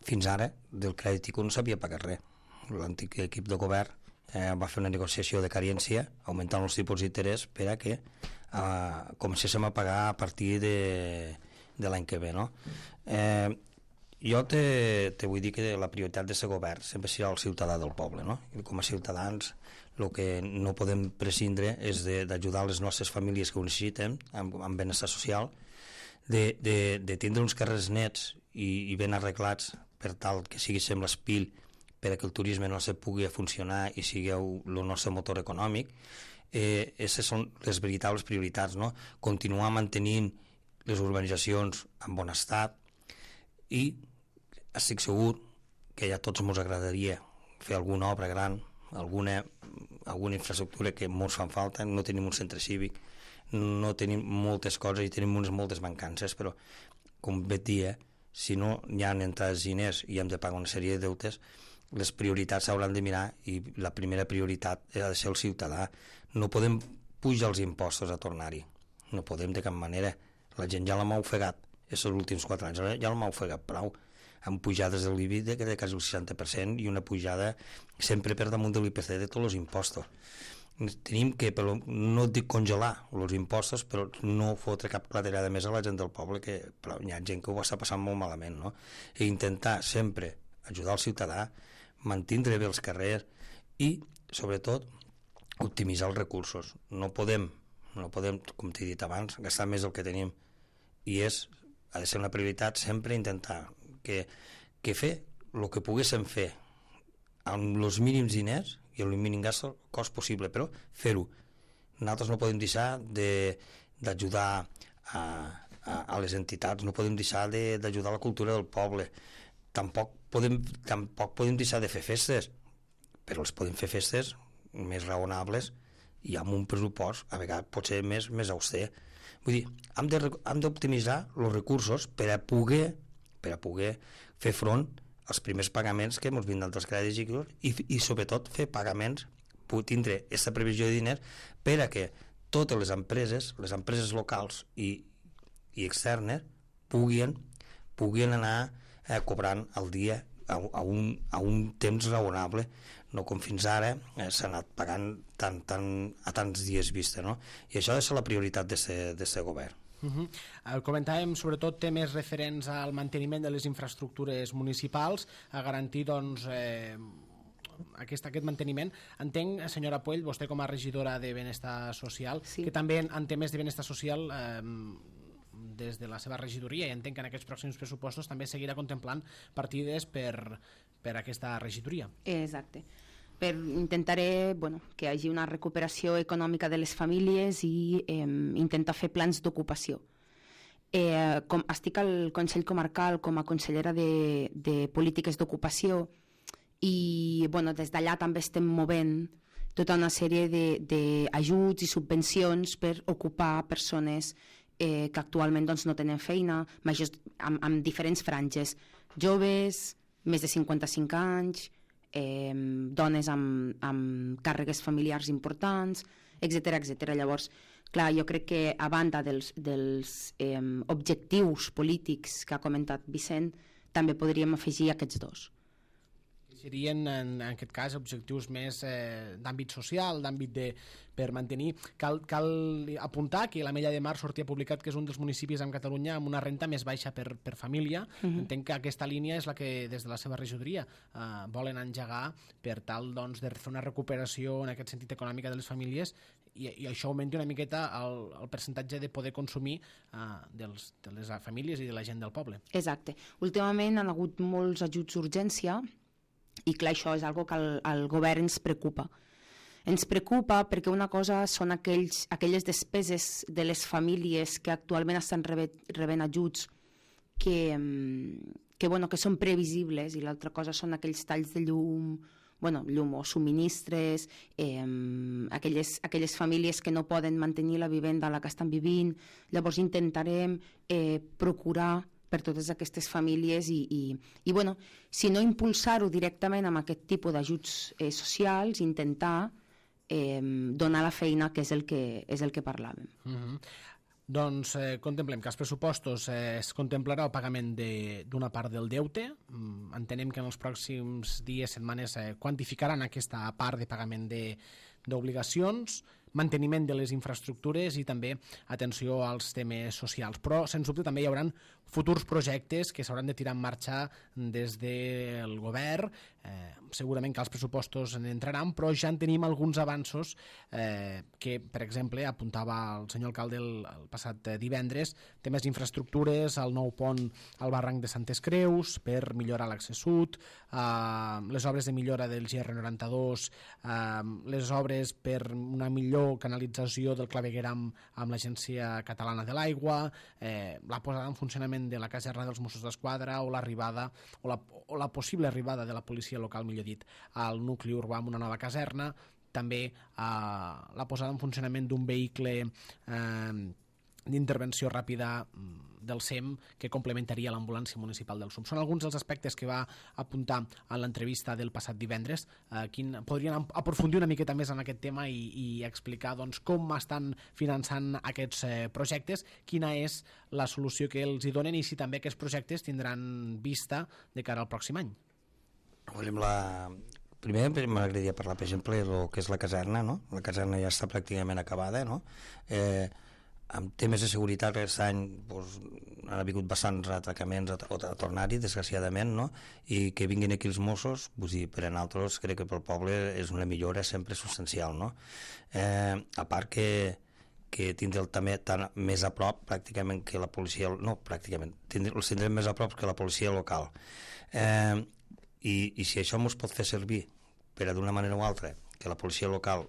Speaker 2: fins ara del crèdit I C O no s'havia pagat res. L'antic equip de govern Eh, va fer una negociació de carència augmentant els tipus d'interès per a que eh, comencéssim a pagar a partir de, de l'any que ve, no? Eh, jo te, te vull dir que la prioritat d'aquest govern sempre serà el ciutadà del poble, no? I com a ciutadans el que no podem prescindre és d'ajudar les nostres famílies que ho necessiten amb, amb benestar social, de, de, de tindre uns carrers nets i, i ben arreglats per tal que siguéssim l'espil perquè el turisme no se pugui funcionar i sigui el nostre motor econòmic. Eh, aquestes són les veritables prioritats, no? Continuar mantenint les urbanitzacions en bon estat i estic segur que ja a tots ens agradaria fer alguna obra gran, alguna, alguna infraestructura que molts fan falta. No tenim un centre cívic, no tenim moltes coses i tenim unes moltes mancances, però com bé et dia, si no hi ha entrades diners i hem de pagar una sèrie de deutes, les prioritats s'hauran de mirar i la primera prioritat ha de ser el ciutadà. No podem pujar els impostos a tornar-hi, no podem de cap manera. La gent ja l'ha ofegat els últims quatre anys, ja l'ha ofegat prou, amb pujades de l'I B I de, de quasi el seixanta per cent i una pujada sempre per damunt de l'I P C de tots els impostos. Tenim que, però, no dic congelar els impostos, però no fotre cap claterada més a la gent del poble, que però hi ha gent que ho està passant molt malament, no? I intentar sempre ajudar el ciutadà, mantindre bé els carrers i, sobretot, optimitzar els recursos. No podem, no podem, com t'he dit abans, gastar més del que tenim. I és, ha de ser una prioritat sempre intentar que, que fer el que poguéssim fer amb els mínims diners i el mínim gast cost possible, però fer-ho. Nosaltres no podem deixar d'ajudar a, a, a les entitats, no podem deixar d'ajudar a la cultura del poble. Tampoc podem, tampoc podem deixar de fer festes, però els podem fer festes més raonables i amb un pressupost a vegades potser més, més auster. Vull dir, hem de, hem d'optimitzar els recursos per a poder, per a poder fer front als primers pagaments que ens vindran dels crèdits i, i sobretot fer pagaments, tindre aquesta previsió de diners per a que totes les empreses, les empreses locals i, i externes puguin, puguin anar Eh, cobrant al dia a, a, un, a un temps raonable, no com fins ara eh, s'ha anat pagant tan, tan, a tants dies vista, no? I això ha de ser la prioritat d'aquest govern.
Speaker 1: Uh-huh. uh, comentàvem sobretot temes referents al manteniment de les infraestructures municipals, a garantir doncs eh, aquest, aquest manteniment. Entenc, senyora Puell, vostè com a regidora de Benestar Social, sí, que també en, en temes de benestar social eh, des de la seva regidoria, i entenc que en aquests pròxims pressupostos també seguirà contemplant partides per, per aquesta regidoria.
Speaker 3: Exacte. Per intentaré bueno, que hi hagi una recuperació econòmica de les famílies i eh, intentar fer plans d'ocupació. Eh, com, estic al Consell Comarcal com a consellera de, de polítiques d'ocupació i bueno, des d'allà també estem movent tota una sèrie d'ajuts i subvencions per ocupar persones eh, que actualment doncs, no tenen feina, majors, amb, amb diferents franges, joves, més de cinquanta-cinc anys, eh, dones amb, amb càrregues familiars importants, etcètera, etcètera. Llavors, clar, jo crec que a banda dels, dels eh, objectius polítics que ha comentat Vicent, també podríem afegir aquests dos.
Speaker 1: Serien, en, en aquest cas, objectius més eh, d'àmbit social, d'àmbit de... per mantenir... Cal, cal apuntar que l'Ametlla de Mar sortia publicat que és un dels municipis en Catalunya amb una renta més baixa per, per família. Uh-huh. Entenc que aquesta línia és la que, des de la seva regidoria, eh, volen engegar per tal doncs, de fer una recuperació en aquest sentit econòmica de les famílies i, i això augmenti una miqueta el, el percentatge de poder consumir eh, dels, de les famílies i de la gent del poble.
Speaker 3: Exacte. Últimament han hagut molts ajuts d'urgència i clar, això és algo que el, el govern ens preocupa. Ens preocupa perquè una cosa són aquells, aquelles despeses de les famílies que actualment estan rebent, rebent ajuts que, que, bueno, que són previsibles i l'altra cosa són aquells talls de llum, bueno, llum o subministres, eh, aquelles, aquelles famílies que no poden mantenir la vivenda a la que estan vivint. Llavors intentarem eh, procurar per totes aquestes famílies i, i, i bueno, si no impulsar-ho directament amb aquest tipus d'ajuts eh, socials, intentar eh, donar la feina, que és el que, és el que parlàvem.
Speaker 1: Mm-hmm. Doncs eh, contemplem que als pressupostos eh, es contemplarà el pagament d'una part del deute. Mm, entenem que en els pròxims dies, setmanes, eh, quantificaran aquesta part de pagament d'obligacions, manteniment de les infraestructures i també atenció als temes socials. Però, sens dubte, també hi haurà futurs projectes que s'hauran de tirar en marxa des del govern. Eh, segurament que els pressupostos en entraran, però ja en tenim alguns avanços eh, que, per exemple, apuntava el senyor alcalde el, el passat divendres, temes d'infraestructures, el nou pont al barranc de Santes Creus per millorar l'accés sud, eh, les obres de millora del G R noranta dos, eh, les obres per una millor canalització del clavegueram amb l'Agència Catalana de l'Aigua, eh, la posada en funcionament de la caserna dels Mossos d'Esquadra o l'arribada o, la, o la possible arribada de la policia local, millor dit, al nucli urbà amb una nova caserna, també eh, la posada en funcionament d'un vehicle eh, d'intervenció ràpida del S E M que complementaria l'ambulància municipal del S U M. Són alguns dels aspectes que va apuntar en l'entrevista del passat divendres. Eh, quin, podrien aprofundir una miqueta més en aquest tema i, i explicar doncs, com estan finançant aquests eh, projectes, quina és la solució que els hi donen i si també aquests projectes tindran vista de cara al pròxim any.
Speaker 2: La... Primer m'agradaria parlar, per exemple, del que és la caserna, no? La caserna ja està pràcticament acabada, no? Eh, amb temes de seguretat aquest any doncs, han hagut bastants atracaments a, a tornar-hi, desgraciadament, no? I que vinguin aquí els Mossos, doncs, dir, per a nosaltres crec que pel poble és una millora sempre substancial, no? Eh, a part que, que tindrem també tan més a prop pràcticament que la policia, no, pràcticament, tindrem, els tindrem més a prop que la policia local. Eh, i, i si això ens pot fer servir per a d'una manera o altra que la policia local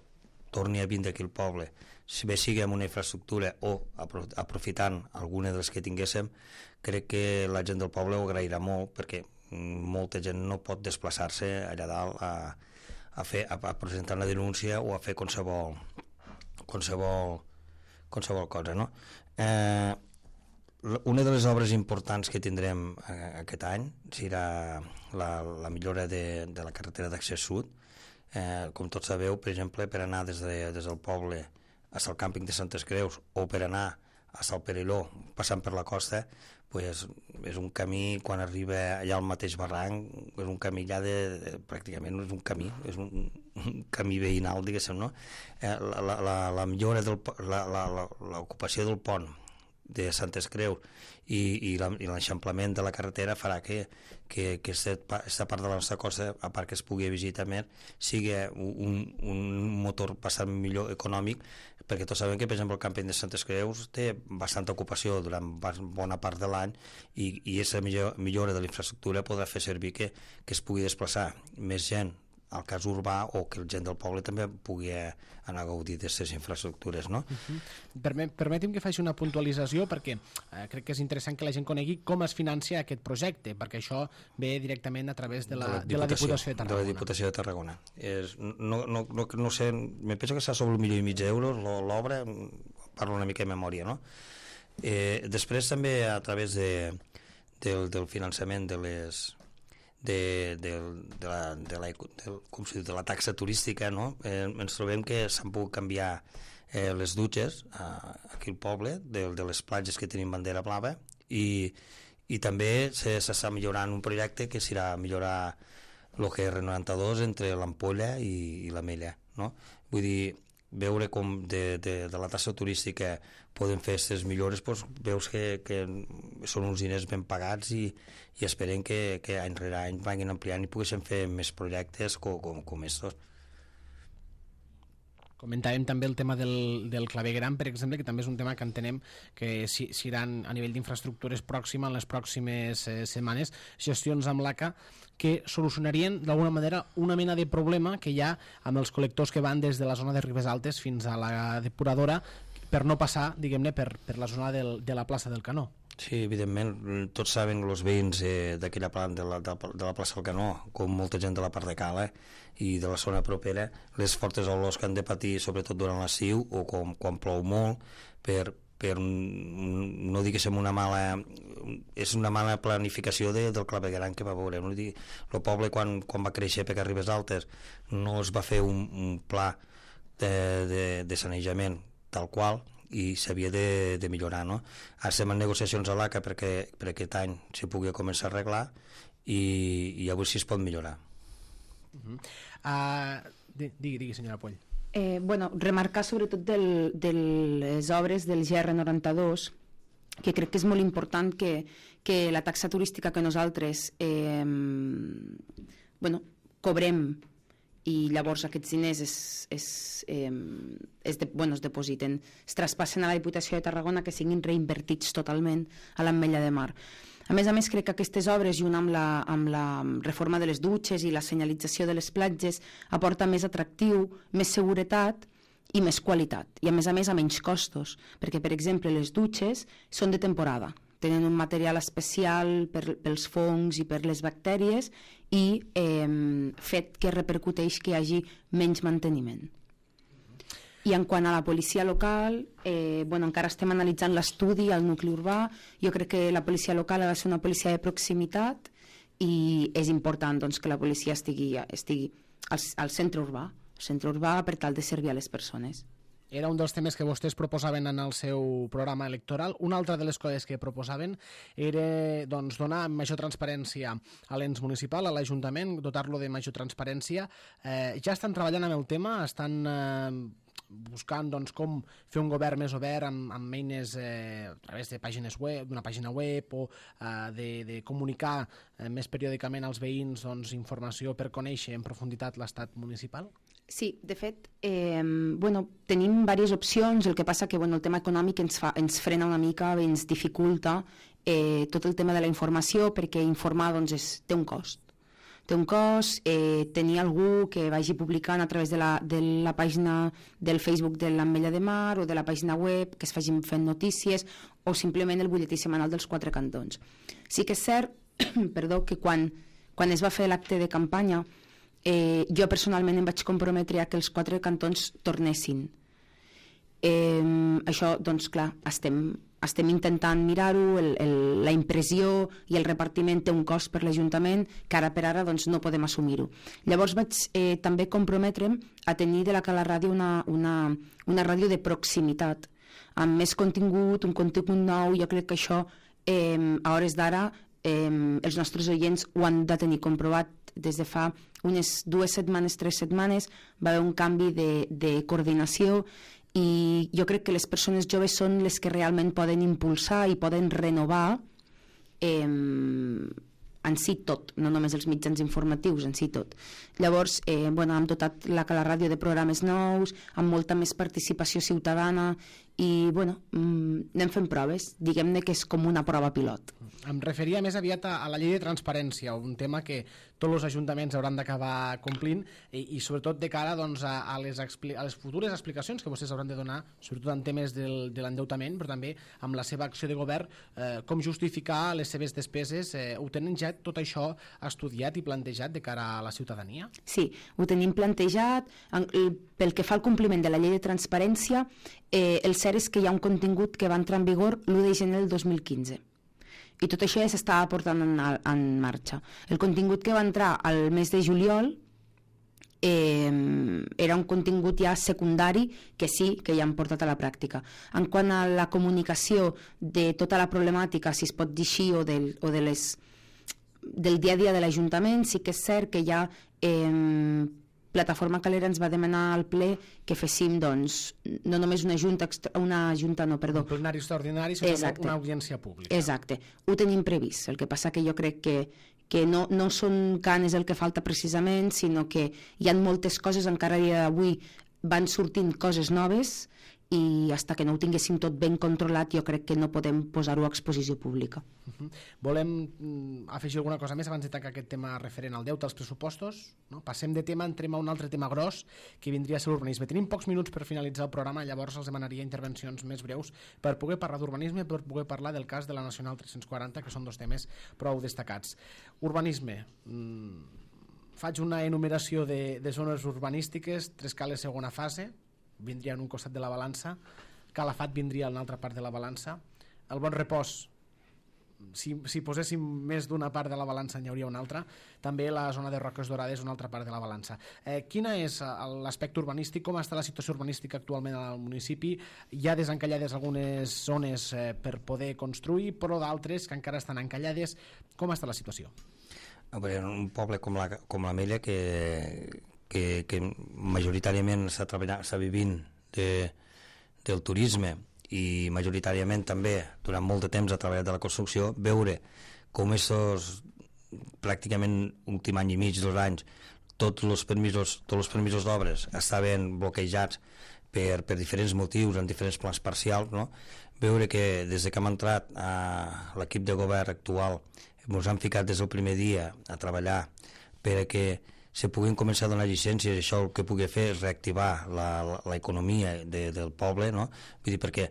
Speaker 2: torni a vindre aquí al poble, si bé sigui amb una infraestructura o aprofitant alguna de les que tinguéssim, crec que la gent del poble ho agrairà molt perquè molta gent no pot desplaçar-se allà dalt a, a, fer, a, a presentar una denúncia o a fer qualsevol qualsevol, qualsevol cosa, no? Eh, una de les obres importants que tindrem aquest any serà la, la millora de, de la carretera d'accés sud. Eh, com tots sabeu, per exemple, per anar des, de, des del poble fins al càmping de Santes Creus o per anar fins al Perelló passant per la costa, pues, és un camí, quan arriba allà al mateix barranc, és un camí allà de, de pràcticament no és un camí, és un, un camí veïnal, diguéssim, no? Eh, la, la, la millora del, la, la, la, l'ocupació del pont de Santes Creus i, i l'eixamplament de la carretera farà que, que, que aquesta part de la nostra costa, a part que es pugui visitar més, sigui un, un motor bastant millor econòmic, perquè tots sabem que, per exemple, el càmping de Santes Creus té bastanta ocupació durant bona part de l'any i, i aquesta millora de la infraestructura podrà fer servir que, que es pugui desplaçar més gent al cas urbà o que la gent del poble també pugui anar a gaudir d'aquestes infraestructures, no?
Speaker 1: Uh-huh. Permet, permeti'm que faci una puntualització perquè eh, crec que és interessant que la gent conegui com es financia aquest projecte, perquè això ve directament a través de la, de la, Diputació, de la Diputació de Tarragona.
Speaker 2: De la Diputació de Tarragona. És, no, no, no, no sé, me penso que està sobre un milió i mig d'euros l'obra, parlo una mica de memòria, no? Eh, després també a través de, del, del finançament de les de, de, de, la, de, la, de, com si diu, de la taxa turística, no? eh, ens trobem que s'han pogut canviar eh, les dutxes a, aquí al poble de, de les platges que tenim bandera blava i, i també s'està millorant un projecte que serà millorar el que és R noranta-dos entre l'Ampolla i, i l'Ametlla, no? Vull dir, veure com de, de, de la taxa turística poden fer aquestes millores, doncs veus que, que són uns diners ben pagats i, i esperem que, que any rere any vagin ampliant i poguessin fer més projectes com, com, com estos.
Speaker 1: Comentàvem també el tema del, del clavegueram, per exemple, que també és un tema que entenem que si, si iran a nivell d'infraestructures pròxima en les pròximes eh, setmanes, gestions amb l'A C A que solucionarien d'alguna manera una mena de problema que hi ha amb els col·lectors que van des de la zona de Ribes Altes fins a la depuradora per no passar, diguem-ne, per, per la zona del, de la plaça del Canó.
Speaker 2: Sí, evidentment, tots saben els veïns eh, d'aquella part de la, de, de la plaça del Canó, com molta gent de la part de Cala i de la zona propera, les fortes olors que han de patir, sobretot durant l'estiu o com, quan plou molt, per, per no diguéssim una mala és una mala planificació de, del clavegueram que va veure. No? El poble quan, quan va créixer per Ribes Altes no es va fer un, un pla de, de, de sanejament tal qual i s'havia de, de millorar, no? Ara estem en negociacions a l'A C A perquè per aquest any s'hi pugui començar a arreglar i, i a veure si es pot millorar.
Speaker 1: Uh-huh. uh, digui, digui, senyora Poll.
Speaker 3: Eh, bueno, remarcar sobretot del, de les obres del G R noranta-dos, que crec que és molt important que, que la taxa turística que nosaltres eh, bueno, cobrem i llavors aquests diners es, es, eh, es, de, bueno, es depositen, es traspassen a la Diputació de Tarragona, que siguin reinvertits totalment a l'Ametlla de Mar. A més a més, crec que aquestes obres, junt amb la, amb la reforma de les dutxes i la senyalització de les platges, aporta més atractiu, més seguretat i més qualitat. I a més a més a menys costos, perquè, per exemple, les dutxes són de temporada, tenen un material especial per, pels fongs i per les bactèries i eh, fet que repercuteix que hi hagi menys manteniment. I en quant a la policia local, eh, bueno, encara estem analitzant l'estudi al nucli urbà. Jo crec que la policia local ha de ser una policia de proximitat i és important doncs, que la policia estigui, estigui al, al centre urbà, al centre urbà per tal de servir a les persones.
Speaker 1: Era un dels temes que vostès proposaven en el seu programa electoral. Una altra de les coses que proposaven era doncs, donar major transparència a l'ens municipal, a l'Ajuntament, dotar-lo de major transparència. Eh, ja estan treballant amb el tema, estan eh, buscant doncs, com fer un govern més obert amb, amb eines eh, a través de pàgines web, d'una pàgina web o eh, de, de comunicar eh, més periòdicament als veïns doncs, informació per conèixer en profunditat l'estat municipal?
Speaker 3: Sí, de fet, eh, bueno, tenim diverses opcions, el que passa que bueno, el tema econòmic ens, fa, ens frena una mica, ens dificulta eh, tot el tema de la informació, perquè informar doncs, és, té un cost. Té un cost, eh, tenir algú que vagi publicant a través de la, de la pàgina del Facebook de l'Ametlla de Mar o de la pàgina web, que es facin fent notícies, o simplement el butlletí setmanal dels quatre cantons. Sí que és cert perdó, que quan, quan es va fer l'acte de campanya, Eh, jo personalment em vaig comprometre a que els quatre cantons tornessin. Eh, això, doncs clar, estem, estem intentant mirar-ho, el, el, la impressió i el repartiment té un cost per l'Ajuntament que ara per ara doncs, no podem assumir-ho. Llavors vaig eh, també comprometre'm a tenir de la Cala Ràdio una, una, una ràdio de proximitat, amb més contingut, un contingut nou. Jo crec que això eh, a hores d'ara eh, els nostres oients ho han de tenir comprovat. Des de fa unes dues setmanes, tres setmanes, va haver un canvi de, de coordinació i jo crec que les persones joves són les que realment poden impulsar i poden renovar eh, en si tot, no només els mitjans informatius, en si tot. Llavors, eh, bueno, hem dotat la Cala Ràdio de programes nous, amb molta més participació ciutadana i, bueno, mm, anem fent proves. Diguem-ne que és com una prova pilot.
Speaker 1: Em referia més aviat a, a la llei de transparència, un tema que tots els ajuntaments hauran d'acabar complint i, i sobretot de cara doncs, a, a, les expli a les futures explicacions que vostès hauran de donar, sobretot en temes del, de l'endeutament, però també amb la seva acció de govern, eh, com justificar les seves despeses. Eh, ho tenen ja tot això estudiat i plantejat de cara a la ciutadania?
Speaker 3: Sí, ho tenim plantejat. En, pel que fa al compliment de la llei de transparència, eh, el cert és que hi ha un contingut que va entrar en vigor l'u de gener del dos mil quinze. I tot això ja s'estava portant en, en marxa. El contingut que va entrar al mes de juliol eh, era un contingut ja secundari que sí, que ja han portat a la pràctica. En quant a la comunicació de tota la problemàtica, si es pot dir així, o, del, o de les, del dia a dia de l'Ajuntament, sí que és cert que ja eh, Plataforma Calera ens va demanar al ple que féssim, doncs, no només una junta, una junta no, perdó.
Speaker 1: Un plenari extraordinari, sinó
Speaker 3: Exacte.
Speaker 1: Una audiència pública.
Speaker 3: Exacte, ho tenim previst. El que passa que jo crec que, que no, no són canes el que falta precisament, sinó que hi ha moltes coses, encara a dia d'avui van sortint coses noves i fins que no ho tinguéssim tot ben controlat jo crec que no podem posar-ho a exposició pública.
Speaker 1: Uh-huh. Volem mm, afegir alguna cosa més abans de tancar aquest tema referent al deute, als pressupostos? No? Passem de tema, entrem a un altre tema gros que vindria a ser l'urbanisme. Tenim pocs minuts per finalitzar el programa, llavors els demanaria intervencions més breus per poder parlar d'urbanisme, per poder parlar del cas de la Nacional tres-cents quaranta, que són dos temes prou destacats. Urbanisme. Mm, faig una enumeració de, de zones urbanístiques, Trescales segona fase, vindria en un costat de la balança, Calafat vindria en una altra part de la balança, el Bon Repòs, si, si poséssim més d'una part de la balança n'hi hauria una altra, també la zona de Roques Dorades una altra part de la balança. Eh, quina és l'aspecte urbanístic, com està la situació urbanística actualment al municipi? Hi ha desencallades algunes zones eh, per poder construir, però d'altres que encara estan encallades. Com està la situació?
Speaker 2: Un poble com la, com la Mella que Que, que majoritàriament està treballant, està vivint de, del turisme i majoritàriament també durant molt de temps ha treballat de la construcció, veure com estos pràcticament últim any i mig, dos anys, tots els permisos, tots els permisos d'obres estaven bloquejats per, per diferents motius, en diferents plans parcials, no? Veure que des que hem entrat a l'equip de govern actual ens han ficat des del primer dia a treballar per a que se puguin començar a donar llicències, això el que pugui fer és reactivar l'economia de, del poble, no? Vull dir, perquè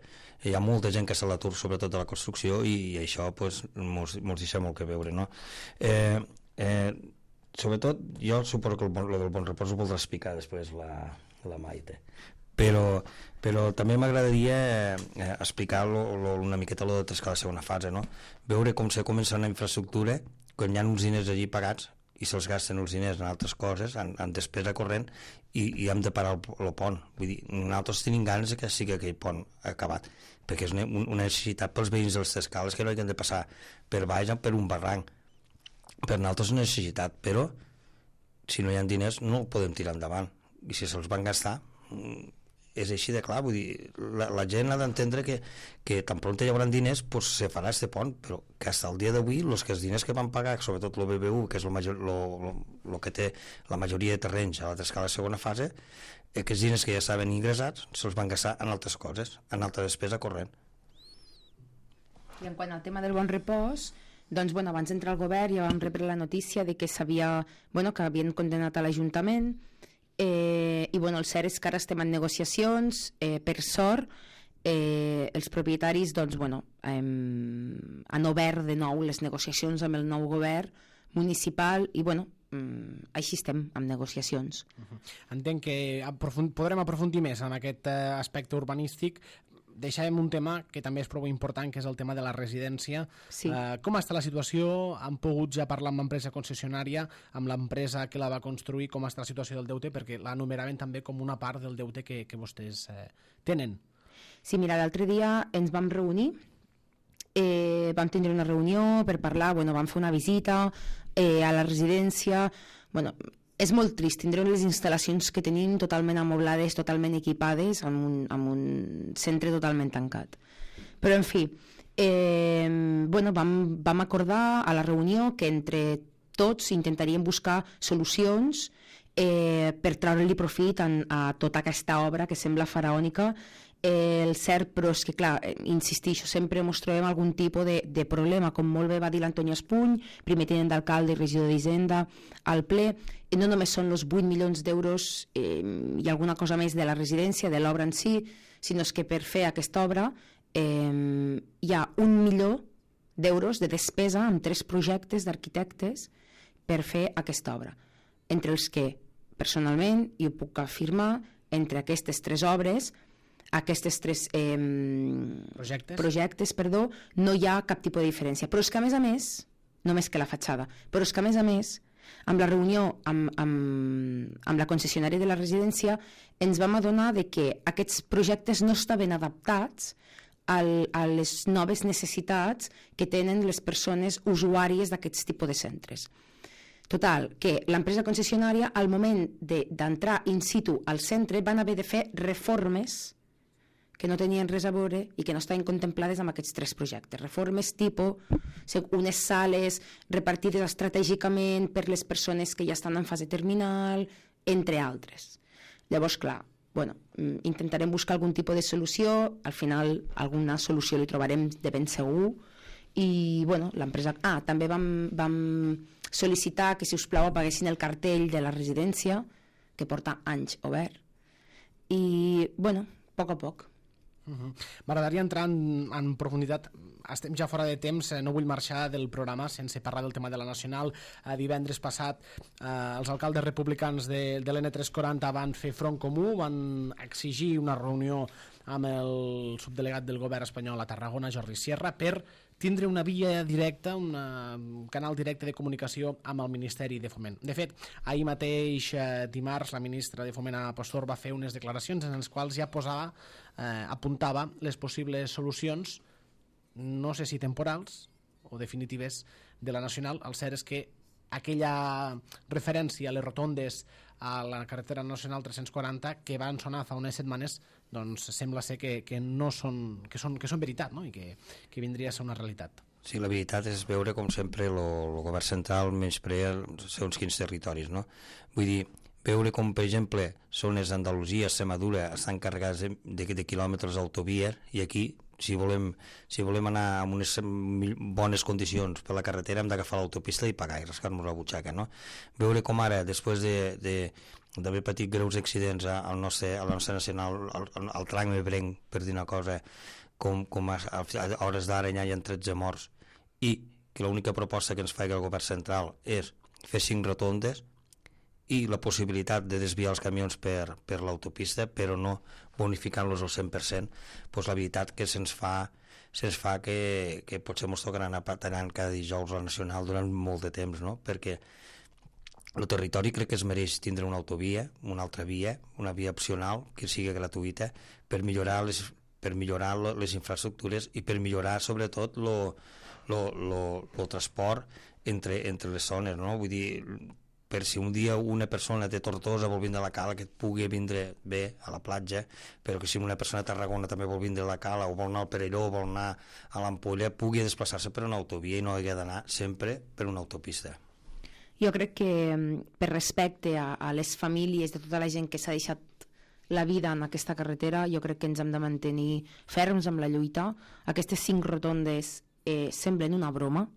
Speaker 2: hi ha molta gent que està a l'atur, sobretot de la construcció, i, i això pues, mos, mos deixa molt que veure, no? Eh, eh, sobretot, jo suposo que el, el del Bon Repòs ho voldrà explicar després la, la Maite, però, però també m'agradaria eh, explicar lo, lo, una miqueta lo de Trescales segona fase, no? Veure com se comença una infraestructura quan hi ha uns diners allí pagats i se'ls gasten els diners en altres coses, en, en despesa corrent, i, i hem de parar el, el pont. Vull dir, nosaltres tenim ganes que sigui aquell pont acabat, perquè és una, una necessitat pels veïns dels Trescales que no hagin de passar per baix per un barranc. Per nosaltres és una necessitat, però si no hi ha diners no el podem tirar endavant. I si se'ls van gastar, és així de clar. Vull dir, la, la gent ha d'entendre que, que tan pront hi haurà diners, pues, se farà este pont, però que fins al dia d'avui els que els diners que van pagar, sobretot el B B U, que és el, major, lo, lo, lo que té la majoria de terrenys a la Trescala segona fase, aquests diners que ja estaven ingressats se'ls van gastar en altres coses, en altra despesa corrent.
Speaker 3: I en quant al tema del Bon Repòs, doncs, bueno, abans d'entrar al govern ja vam rebre la notícia de que s'havia, bueno, que havien condemnat a l'Ajuntament. Eh, i bueno, el cert és que ara estem en negociacions, eh, per sort eh, els propietaris doncs, bueno, hem, han obert de nou les negociacions amb el nou govern municipal i bueno, mm, així estem amb negociacions.
Speaker 1: Uh-huh. Entenc que aprofund podrem aprofundir més en aquest eh, aspecte urbanístic. Deixàvem un tema que també és prou important, que és el tema de la residència.
Speaker 3: Sí.
Speaker 1: Eh, com està la situació? Han pogut ja parlar amb l'empresa concessionària, amb l'empresa que la va construir, com està la situació del deute? Perquè la numeraven també com una part del deute que, que vostès eh, tenen.
Speaker 3: Sí, mira, l'altre dia ens vam reunir, eh, vam tindre una reunió per parlar, bueno, vam fer una visita eh, a la residència. Bueno, és molt trist, tindrem les instal·lacions que tenim totalment amoblades, totalment equipades, amb un, amb un centre totalment tancat. Però, en fi, eh, bueno, vam, vam acordar a la reunió que entre tots intentaríem buscar solucions eh, per treure-li profit en, a tota aquesta obra que sembla faraònica. Eh, el cert, però és que clar, eh, insistixo, sempre ens trobem algun tipus de, de problema, com molt bé va dir l'Antoni Espuny, primer tinent d'alcalde i regidor d'Hisenda al ple. No només són els vuit milions d'euros eh, i alguna cosa més de la residència, de l'obra en si, sinó que per fer aquesta obra eh, hi ha un milió d'euros de despesa amb tres projectes d'arquitectes per fer aquesta obra, entre els que personalment, i ho puc afirmar, entre aquestes tres obres, aquestes tres eh,
Speaker 1: projectes,
Speaker 3: projectes perdó, no hi ha cap tipus de diferència. Però és que a més a més, només que la fatxada, però és que a més a més, amb la reunió amb, amb, amb la concessionària de la residència ens vam adonar de que aquests projectes no estaven adaptats al, a les noves necessitats que tenen les persones usuàries d'aquests tipus de centres. Total, que l'empresa concessionària al moment d'entrar in situ al centre van haver de fer reformes que no tenien res a veure i que no estaven contemplades amb aquests tres projectes. Reformes tipus, unes sales repartides estratègicament per les persones que ja estan en fase terminal, entre altres. Llavors, clar, bueno, intentarem buscar algun tipus de solució, al final alguna solució li trobarem de ben segur, i bueno, l'empresa... Ah, també vam, vam sol·licitar que, si us plau, apaguessin el cartell de la residència, que porta anys obert, i bueno, a poc a poc.
Speaker 1: Uh-huh. M'agradaria entrar en, en profunditat. Estem ja fora de temps, no vull marxar del programa sense parlar del tema de la Nacional. Eh, divendres passat eh, els alcaldes republicans de, de l'N tres cents quaranta van fer front comú, van exigir una reunió amb el subdelegat del govern espanyol a Tarragona, Jordi Sierra, per tindre una via directa, una, un canal directe de comunicació amb el Ministeri de Foment. De fet, ahir mateix, eh, dimarts, la ministra de Foment, Ana Pastor, va fer unes declaracions en les quals ja posava, eh, apuntava les possibles solucions, no sé si temporals o definitives, de la Nacional. El cert és que aquella referència a les rotondes a la carretera nacional tres cents quaranta que van sonar fa unes setmanes, doncs sembla ser que, que no són, que són, que són veritat, no? I que, que vindria a ser una realitat.
Speaker 2: Sí, la veritat és veure com sempre el govern central menysprea segons quins territoris, no? Vull dir, veure com, per exemple, zones d'Andalusia, Extremadura, estan carregades de, de, de quilòmetres d'autovia, i aquí, si volem, si volem anar en unes bones condicions per la carretera, hem d'agafar l'autopista i pagar i rascar-nos la butxaca, no? Veure com ara, després de, de, d'haver patit greus accidents al nostre, a la nostra nacional, al, al tram ebrenc, per dir una cosa, com, com a, a hores d'ara ja hi ha tretze morts, i que l'única proposta que ens fa el govern central és fer cinc rotondes i la possibilitat de desviar els camions per, per l'autopista, però no bonificant-los al cent per cent, doncs la veritat que se'ns fa, se'ns fa que, que potser ens tocarà anar patinant cada dijous a la Nacional durant molt de temps, no? Perquè el territori crec que es mereix tindre una autovia, una altra via, una via opcional que sigui gratuïta per millorar les, per millorar les infraestructures i per millorar sobretot el transport entre, entre les zones, no? Vull dir, per si un dia una persona de Tortosa vol vindre a la Cala, que pugui vindre bé a la platja, però que si una persona de Tarragona també vol vindre a la Cala, o vol anar al Perelló, o vol anar a l'Ampolla, pugui desplaçar-se per una autovia i no hagi d'anar sempre per una autopista.
Speaker 3: Jo crec que, per respecte a, a les famílies de tota la gent que s'ha deixat la vida en aquesta carretera, jo crec que ens hem de mantenir ferms amb la lluita. Aquestes cinc rotondes eh, semblen una broma,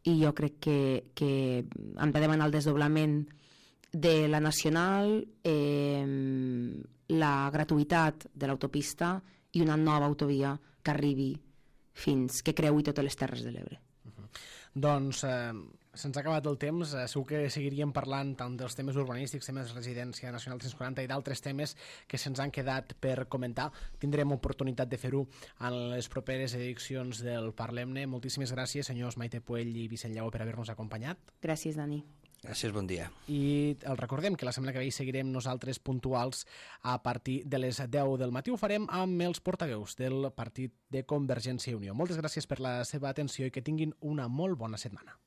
Speaker 3: i jo crec que, que hem de demanar el desdoblament de la Nacional, eh, la gratuïtat de l'autopista i una nova autovia que arribi fins que creui totes les Terres de l'Ebre.
Speaker 1: Uh-huh. Doncs eh, se'ns ha acabat el temps, eh, segur que seguiríem parlant tant dels temes urbanístics, temes de residència nacional tres cents quaranta i d'altres temes que se'ns han quedat per comentar. Tindrem oportunitat de fer-ho en les properes edicions del Parlem-ne. Moltíssimes gràcies, senyors Maite Puell i Vicent Lleó, per haver-nos acompanyat.
Speaker 3: Gràcies, Dani.
Speaker 2: Gràcies, bon dia.
Speaker 1: I el recordem que la setmana que ve seguirem nosaltres puntuals a partir de les deu del matí. Ho farem amb els portaveus del partit de Convergència i Unió. Moltes gràcies per la seva atenció i que tinguin una molt bona setmana.